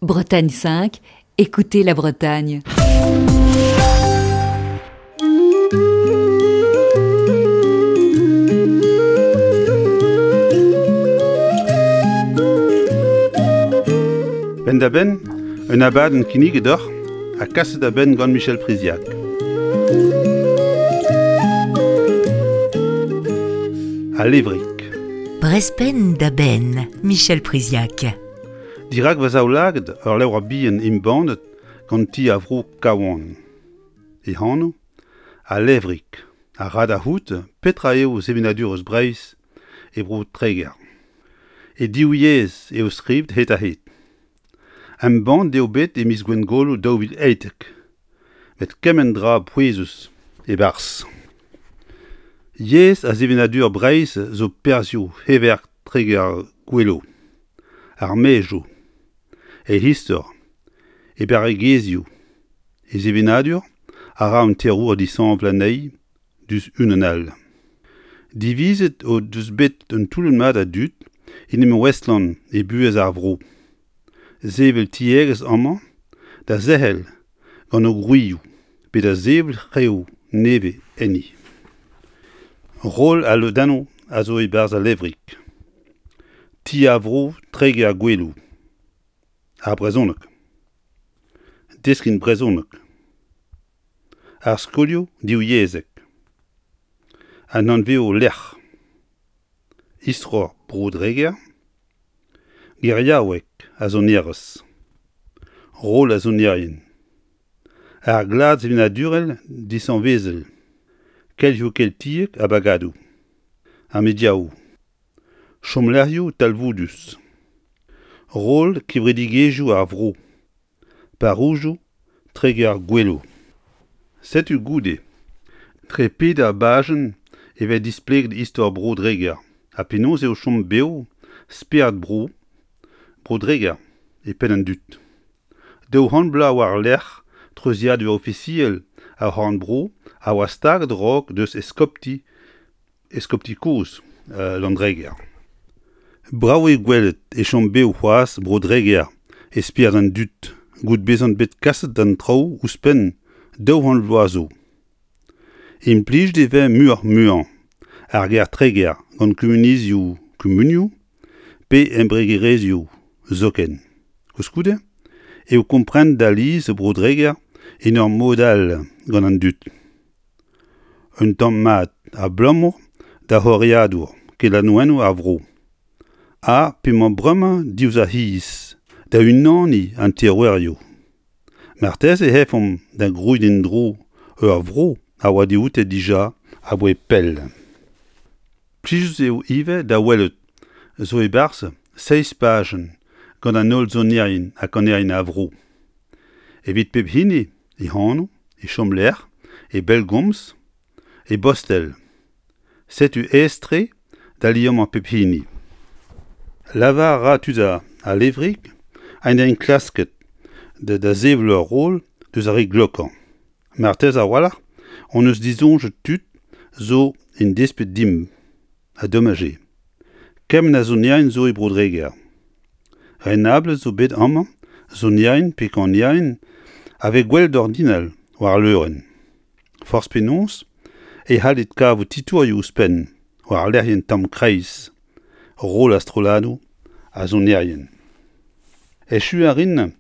Bretagne 5, écoutez la Bretagne. Penn-da-benn, un abadenn kinniget deoc'h ha kaset a-benn gant Michel Priziac. Al levrig. Brezpenn da benn, Michel Priziac. Dirak va zaoulagad ur levr bihan embannet gant ti a vro Kawan. E anv, Al Levrig, a ra da c'hoût petra eo sevenadurezh Breizh e bro Treger. E div yezh eo skrivet hed-ha-hed. Embannet eo bet e miz Gwengolo 2011, met kement dra pouezus e-barzh. Yezh ha sevenadur Breizh zo perzhioù heverk Treger-Goueloù, ar maezioù, e istor, e barregezhioù, e sevenadur a ra un terour dishañval anezhi diouzh unan all. Divizet o deus bet un toullad mat a dud en em ouestlañ e buhez ar vro, sevel tiegezh amañ da zerc'hel gant o gwrizioù pe da sevel reoù nevez enni. Roll al lodennoù a zo e-barzh al levrig. Ti ar vro Treger-Goueloù. Ar brezhoneg. Deskiñ brezhoneg. Ar skolioù divyezhek. An anvioù-lec'h. Istor Bro-Dreger. Geriaoueg ha sonerezh. Roll ar sonerien. Ar glad sevenadurel dishañvezel. Kelc'hioù keltiek ha bagadoù. Ar mediaoù. Chomlec'hioù talvoudus. Roll kevredigezhioù ar vro. Parrouzioù Treger-Goueloù. Setu goude, dre peder bajenn e vez displeget istor Bro-Dreger ha penaos eo chom bev spered bro Bro-Dreger e penn an dud. 200 bloaz war-lerc'h treuziadur ofisiel ar c'horn-bro a oa staget a-raok deus eskopti Eskopti kozh Landreger. Brav eo gwelet e chom bev c'hoazh Bro-Dreger e spered an dud goude bezañ bet kaset d'an traoù ouzhpenn 200 vloaz zo. Implijet e vez muioc'h-muiañ ar ger Treger gant kumuniezhioù kumunioù pe embregerezhioù zoken. Koulskoude eo komprenet alies Bro-Dreger en ur mod all gant an dud. Un tamm mat abalamour da c'horiadour kelaouennoù ar vro ha p'emañ bremañ diouzh ar c'hiz da unaniñ an terouerioù. Marteze e efomp da grouiñ en-dro ur vro a oa dioute dija aboae pell. Plijus eo ivez da welout zo e-barzh seizh pajenn gant an holl sonerien ha kanerien a vro. Evit pep hini e anv, e chomlec'h, e bellgomz, e bostel. Setu aes-tre da liammañ pep hini. Lavar a ra tud al levrig ha en enklasket da sevel ur roll deus ar re glokañ. Marteze a-walc'h hon eus disoñjet tud zo en desped dimp, ha domaj eo. Kement a sonerien zo e Bro-Dreger. Renablet zo bet amañ sonerien pe kanerien a vez gwelet ordinal war al leurenn. Forzh penaos e c'hallit kavout titourioù ouzhpenn war lec'hienn Tamm Kreiz, roll ar strolladoù ha sonerien. Echu a rin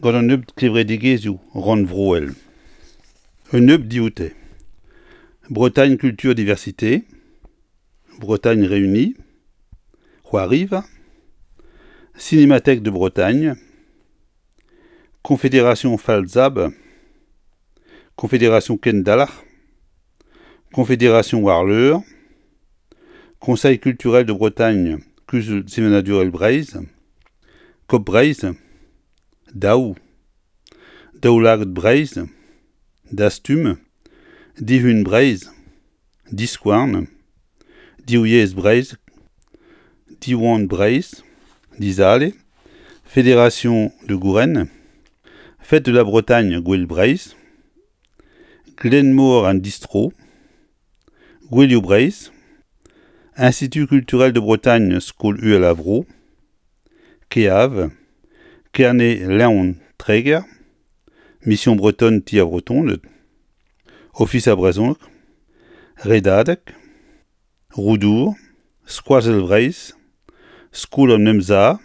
gant un nebeud kevredigezhioù rannvroel. Un nebeud dioute. Bretagne Culture Diversité, Bretagne Réunie, C'hoariva, Cinémathèque de Bretagne, Confédération Falzab, Confédération Kendalc'h, Confédération Warleur, Conseil culturel de Bretagne, Kuzul sevenadurel Breizh, Kop Breizh, Daou, Daoulagad Breizh, Dastum, Dihun Breizh, Diskouarn, Div Yezh Breizh, Diwan Breizh, Dizale, Fédération de Gouren, Fête de la Bretagne Gouel Breizh, Glenmor an Distro, Gouelioù Breizh, Institut culturel de Bretagne Skol Uhel ar Vro, KEAV, Kerne Leon Treger, Mission Bretonne Ti ar Vretoned, Ofis ar Brezhoneg, Redadeg, Roudour, Skoazell Vreizh, Skol an Emsav,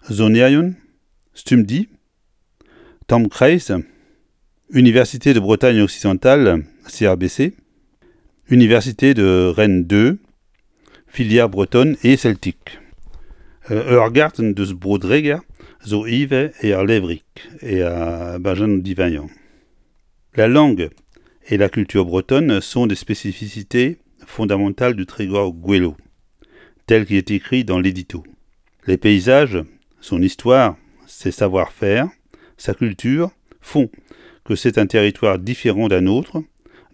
Sonerion, Stumdi, Tamm Kreiz, Université de Bretagne Occidentale, CRBC, Université de Rennes 2, filière bretonne et celtique. Ur gartenn deus Bro-Dreger zo ivez er levrig e bajenn diwezhañ. La langue et la culture bretonne sont des spécificités fondamentales du Trégor-Gouelou, tel qu'il est écrit dans l'édito. Les paysages, son histoire, ses savoir-faire, sa culture font que c'est un territoire différent d'un autre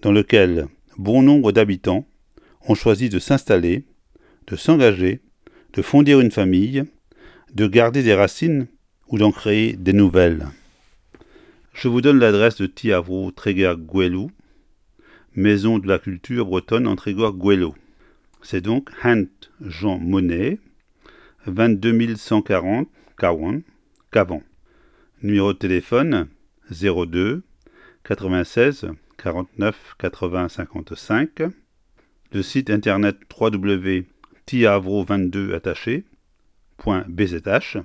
dans lequel bon nombre d'habitants ont choisi de s'installer, de s'engager, de fonder une famille, de garder des racines ou d'en créer des nouvelles. Je vous donne l'adresse de Ti ar Vro Treger-Goueloù, Maison de la culture bretonne en Trégor-Goueloù. C'est donc Hent Jean Monnet, 22 140 Kawan, Cavan. Numéro de téléphone 02 96 49 80 55. Le site internet www.tiavro22 attaché .bzh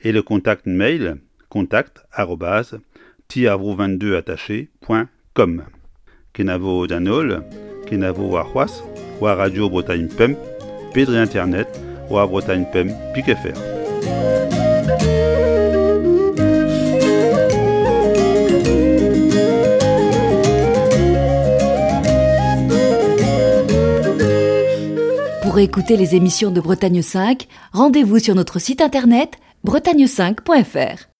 et le contact mail contact arobase tiavro22 attaché .com. Kenavo d'an holl, kenavo warc'hoazh, war Radio Bretagne Pemp, pe dre internet war Bretagne Pemp pik fr. Pour écouter les émissions de Bretagne 5, rendez-vous sur notre site internet bretagne5.fr.